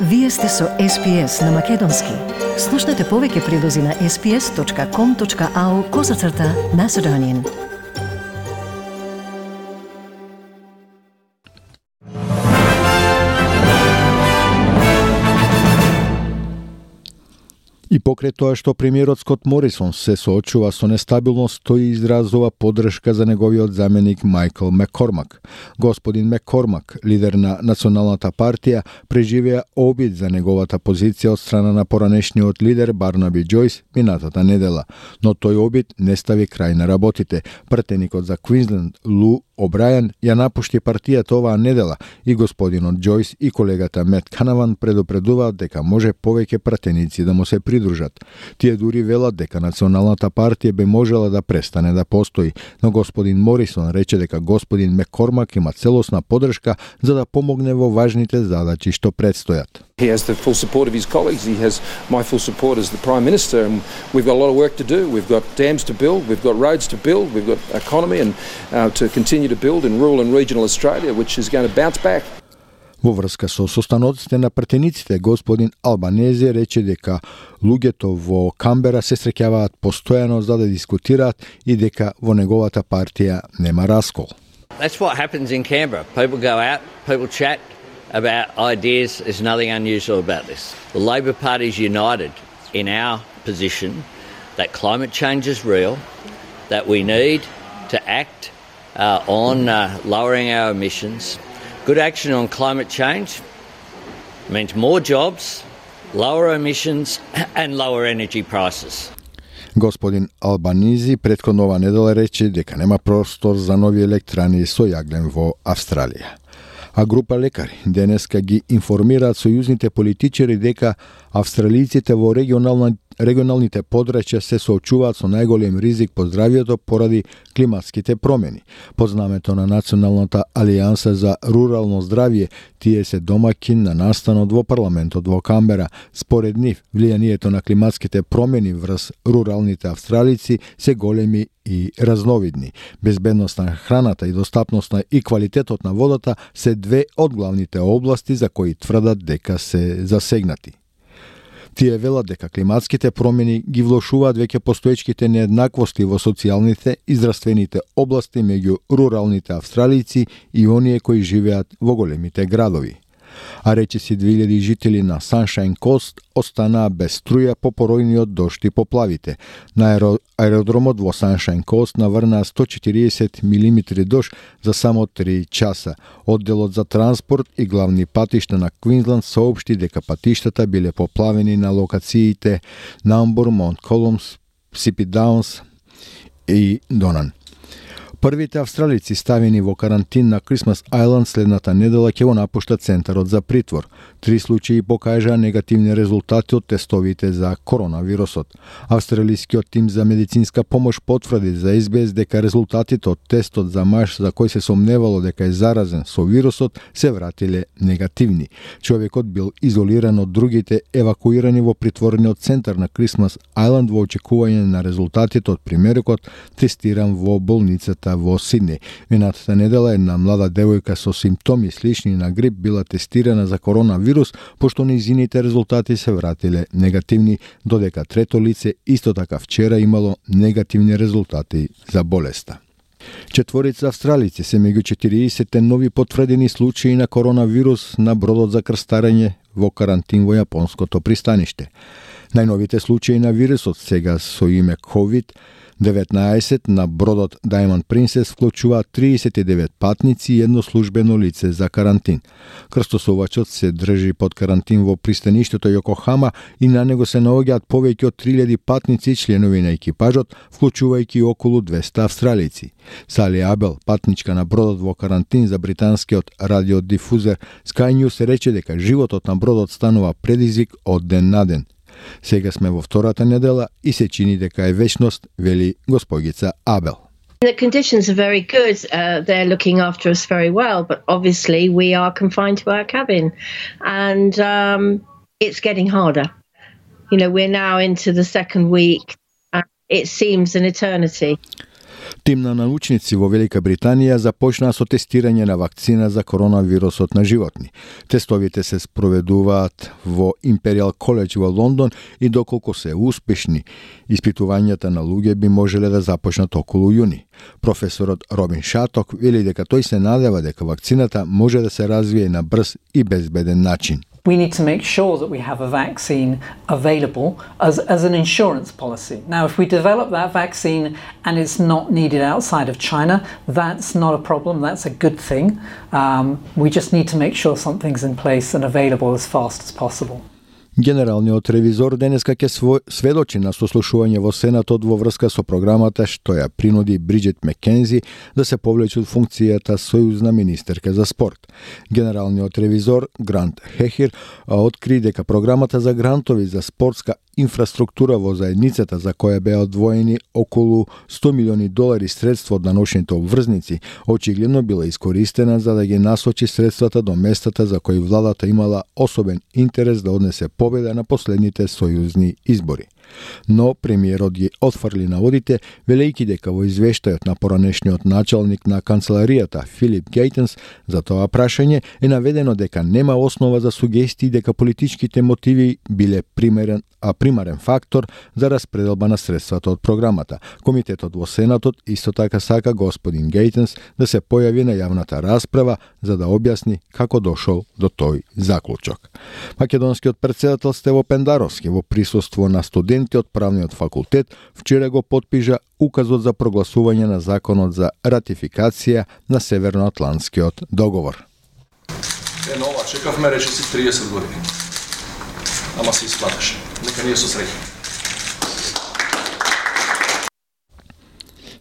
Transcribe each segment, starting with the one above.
Вие сте со SPS на Македонски. Слушнете повеќе прилози на sps.com.au/Macedonian. И покрај тоа што премиерот Скот Морисон се соочува со нестабилност, тој изразува поддршка за неговиот заменик Майкл Маккормак. Господин Маккормак, лидер на Националната партија, преживеа обид за неговата позиција од страна на поранешниот лидер Барнаби Џојс минатата недела, но тој обид не стави крај на работите. Пратеникот за Квинсленд Лу Обрајан ја напушти партијата оваа недела и господинот Џојс и колегата Мет Канаван предупредуваат дека може повеќе пратеници да му се придружат. Тие дури велат дека Националната партија би можела да престане да постои, но господин Морисон рече дека господин Маккормак има целосна поддршка за да помогне во важните задачи што предстојат. He has the full support of his colleagues. He has my full support as the Prime Minister, and we've got a lot of work to do. We've got dams to build, we've got roads to build, we've got economy and to continue to build in rural and regional Australia, which is going to bounce back. Во врска со состаноците на пратениците, господин Албанези рече дека луѓето во Камбера се среќаваат постојано за да дискутираат и дека во неговата партија нема раскол. That's what happens in Canberra. People go out, people chat about ideas. There's nothing unusual about this. The Labor Party is united in our position that climate change is real, that we need to act on lowering our emissions. Good action on climate change means more jobs, lower emissions and lower energy prices. Господин Албанизи претходно ова недела рече дека нема простор за нови електрани со јаглен во Австралија. А група лекари денеска ги информираат сојузните политичари дека австралиците во регионалните подрачја се соочуваат со најголем ризик по здравјето поради климатските промени. Под знамето на Националната алијанса за рурално здравје, тие се домаќин на настанот во парламентот во Камбера. Според нив, влијанието на климатските промени врз руралните австралици се големи и разновидни. Безбедност на храната и достапноста и квалитетот на водата се две од главните области за кои тврдат дека се засегнати. Тие велат дека климатските промени ги влошуваат веќе постоечките нееднаквости во социјалните и здравствените области меѓу руралните австралици и оние кои живеат во големите градови. А речиси 2000 жители на Sunshine Coast останаа без струја по поројниот дожд и поплавите. На аеродромот во Sunshine Coast наврнаа 140 мм дожд за само 3 часа. Одделот за транспорт и главни патишта на Квинсленд соопшти дека патиштата биле поплавени на локациите Намбур, Монт Колумс, Сипи Даунс и Донан. Првите австралици ставени во карантин на Крисмас Ајланд следната недела ќе го напуштат центарот за притвор. 3 случаи покажаа негативни резултати од тестовите за коронавирусот. Австралискиот тим за медицинска помош потврди за SBS дека резултатите од тестот за маж за кој се сомневало дека е заразен со вирусот се вратиле негативни. Човекот бил изолиран од другите евакуирани во притворниот центар на Крисмас Ајланд во очекување на резултатите од примерокот тестиран во болницата во Сиднеј. Минатата недела една млада девојка со симптоми слични на грип била тестирана за коронавирус, пошто нејзините резултати се вратиле негативни, додека трето лице исто така вчера имало негативни резултати за болеста. 4 австралици се меѓу 40 нови потврдени случаи на коронавирус на бродот за крстарење во карантин во јапонското пристаниште. Најновите случаи на вирусот сега со име COVID-19 на бродот Diamond Princess вклучуваат 39 патници и едно службено лице за карантин. Крстосувачот се држи под карантин во пристаништето Јокохама и на него се наоѓаат повеќе од 3000 патници и членови на екипажот, вклучувајќи околу 200 австралици. Сали Абел, патничка на бродот во карантин за британскиот радиодифузер Sky News, рече дека животот на бродот станува предизвик од ден на ден. Сега сме во втората недела и се чини дека е вечност, вели госпогица Абел. The conditions are very good. They're looking after us very well, but obviously we are confined to our cabin, and it's getting harder. You know, we're now into the second week. It seems an eternity. Тим на научници во Велика Британија започнаа со тестирање на вакцина за коронавирусот на животни. Тестовите се спроведуваат во Imperial College во Лондон и доколку се успешни, испитувањата на луѓе би можеле да започнат околу јуни. Професорот Робин Шаток вели дека тој се надева дека вакцината може да се развие на брз и безбеден начин. We need to make sure that we have a vaccine available as an insurance policy. Now, if we develop that vaccine and it's not needed outside of China, that's not a problem, that's a good thing. We just need to make sure something's in place and available as fast as possible. Генералниот ревизор денеска ќе сведочи на сослушување во Сенатот во врска со програмата што ја принуди Бриджит Мекензи да се повлече од функцијата сојузна министерка за спорт. Генералниот ревизор Грант Хехир откри дека програмата за грантови за спортска инфраструктура во заедницата за која беа одвоени околу $100 милиони средства од даночните обврзници, очигледно била искористена за да ги насочи средствата до местата за кои владата имала особен интерес да однесе победа на последните сојузни избори. Но премиерот ги отфрли наводите, велејќи дека во извештајот на поранешниот началник на канцеларијата Филип Гейтенс за тоа прашање е наведено дека нема основа за сугестии дека политичките мотиви биле примарен фактор за распределба на средствата од програмата. Комитетот во Сенатот исто така сака господин Гейтенс да се појави на јавната расправа за да објасни како дошол до тој заклучок. Македонскиот претседател Стево Пендаровски во присуство на студенти од правниот факултет вчера го потпиша указот за прогласување на законот за ратификација на Северноатлантскиот договор. Ова чекавме речиси 30 години. Ама се исплатеше. Нека ние со среќа.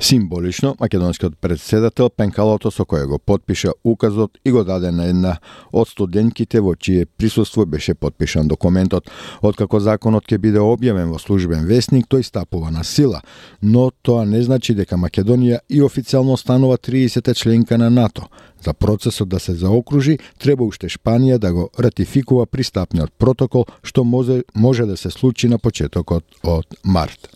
Символично, македонскиот претседател пенкалото со кое го потпиша указот и го даде на една од студентките во чие присуство беше потпишан документот. Откако законот ќе биде објавен во службен весник, тој стапува на сила, но тоа не значи дека Македонија и официјално станува 30-та членка на НАТО. За процесот да се заокружи, треба уште Шпанија да го ратификува пристапниот протокол, што може да се случи на почетокот од март.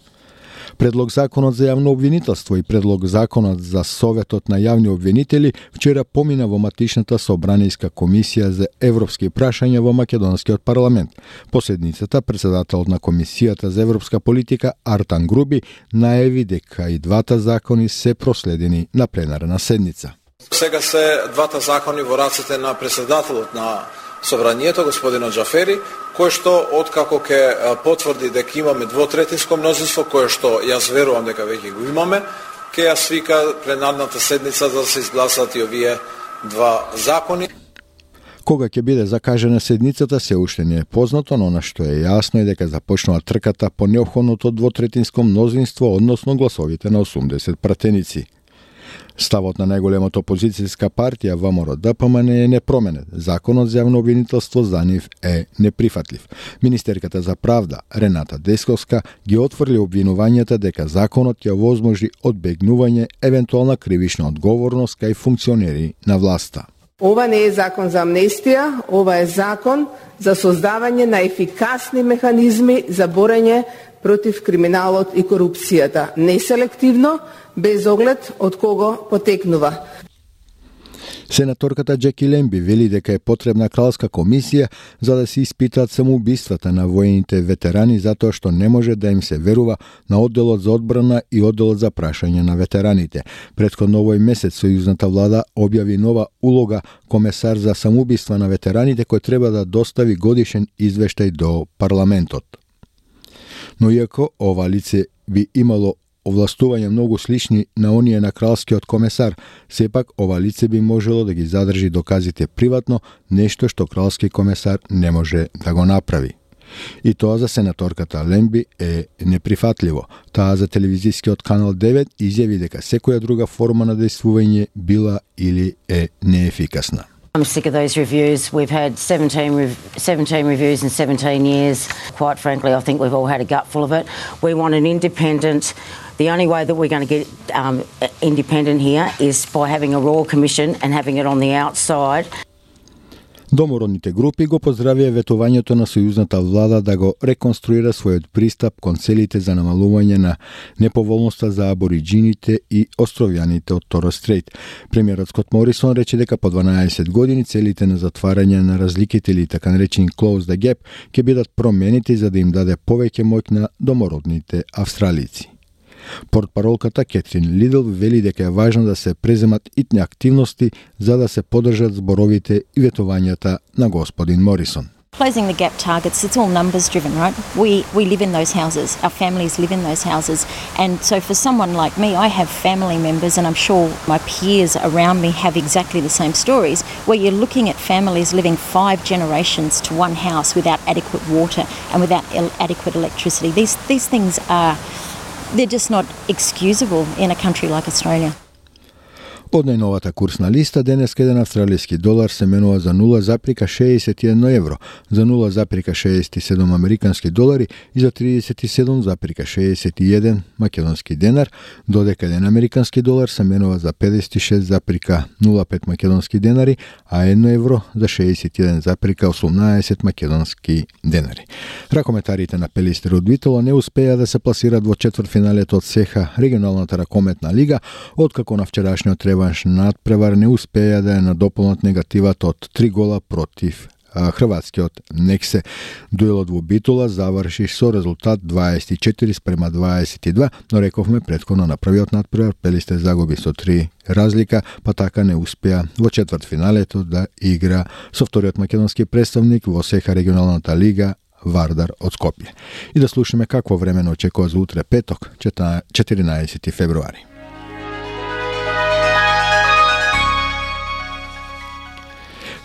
Предлог законот за јавно обвинителство и предлог законот за Советот на јавни обвинители вчера помина во матичната собранијска комисија за европски прашања во македонскиот парламент. По седницата, претседателот на комисијата за европска политика Артан Груби најави дека и двата закони се проследени на пленарна седница. Сега се двата закони во рацете на претседателот на Собранието, господинот Джафери, кој што откако ќе потврди дека имаме двотретинско мнозинство, кое што јас верувам дека веќе го имаме, ќе ја свика пленарната седница да се изгласат и овие два закони. Кога ќе биде закажена седницата се уште не е познато, но она што е јасно е дека започнува трката по неопходното двотретинско мнозинство, односно гласовите на 80 пратеници. Ставот на најголемата опозицијска партија ВМРО-ДПМН е непроменет. Законот за јавно обвинителство за нив е неприфатлив. Министерката за правда Рената Десковска ги отфрли обвинувањата дека законот ќе овозможи одбегнување евентуална кривична одговорност кај функционери на власта. Ова не е закон за амнестија, ова е закон за создавање на ефикасни механизми за борење против криминалот и корупцијата, неселективно, без оглед од кого потекнува. Сенаторката Джеки Лемби вели дека е потребна кралска комисија за да се испитаат самоубиствата на воените ветерани затоа што не може да им се верува на одделот за одбрана и одделот за прашање на ветераните. Претходно овој месец сојузната влада објави нова улога комесар за самоубиства на ветераните кој треба да достави годишен извештај до парламентот. Но иако ова лице би имало овластување многу слични на оние на кралскиот комесар, сепак ова лице би можело да ги задржи доказите приватно, нешто што кралски комесар не може да го направи. И тоа за сенаторката Лемби е неприфатливо. Таа за телевизискиот канал 9 изјави дека секоја друга форма на действување била или е неефикасна. I'm sick of those reviews. We've had 17 reviews in 17 years. Quite frankly, I think we've all had a gutful of it. We want an independent. The only way that we're going to get independent here is by having a Royal Commission and having it on the outside. Домородните групи го поздравија ветувањето на сојузната влада да го реконструира својот пристап кон целите за намалување на неповолноста за абориджините и островјаните од Торес Стрейт. Премиерот Скот Морисон рече дека по 12 години целите на затварање на разликите или така наречени Close the Gap ќе бидат променети за да им даде повеќе моќ на домородните австралици. Портпаролката Кетрин Лидл вели дека е важно да се преземат итни активности за да се поддржат зборовите и ветувањата на господин Морисон. Closing the gap targets, it's all numbers driven, right? We live in those houses, our families live in those houses, and so for someone like me, I have family members, and I'm sure my peers around me have exactly the same stories, where you're looking at families living 5 generations to one house without adequate water and without adequate electricity. These things are, they're just not excusable in a country like Australia. Од најновата курсна листа, денеска еден австралиски долар се менува за 0,61 евро, за 0,67 американски долари и за 37,61 македонски денар, додека еден американски долар се менува за 56,05 македонски денари, а 1 евро за 61,18 македонски денари. Ракометарите на Пелистер од Витола не успеа да се пласираат во четвртфиналето од СЕХА, регионалната ракометна лига, откако на вчерашниот реванш надпревар не успеа да ја надополнат негативата од 3 гола против хрватскиот Нексе. Дуелот во Битола заврши со резултат 24:22, но рековме претходно на првиот надпревар Пелистер загуби со 3 разлика, па така не успеа во четвртфиналето да игра со вториот македонски представник во СЕХА регионалната лига Вардар од Скопје. И да слушаме какво време не очекува за утре петок, 14 февруари.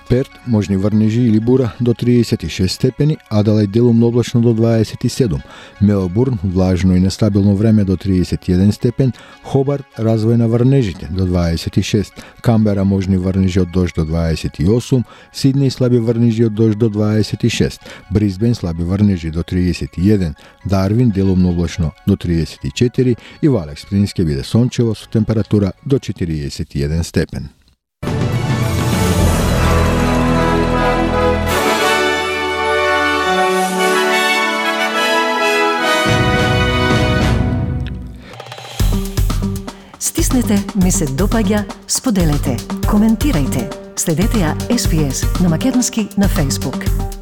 Перт, можни врнежи или бура до 36 степени, Аделаид делумно облачно до 27, Мелбурн влажно и нестабилно време до 31 степен, Хобарт развој на врнежите до 26, Камбера можни врнежи од дожд до 28, Сиднеј слаби врнежи од дожд до 26, Брисбен слаби врнежи до 31, Дарвин делумно облачно до 34 и во Алекс Спрингс ќе биде сончево со температура до 41 степен. Стиснете, ми се допаѓа, споделете, коментирајте. Следете ја SPS на Македонски на Facebook.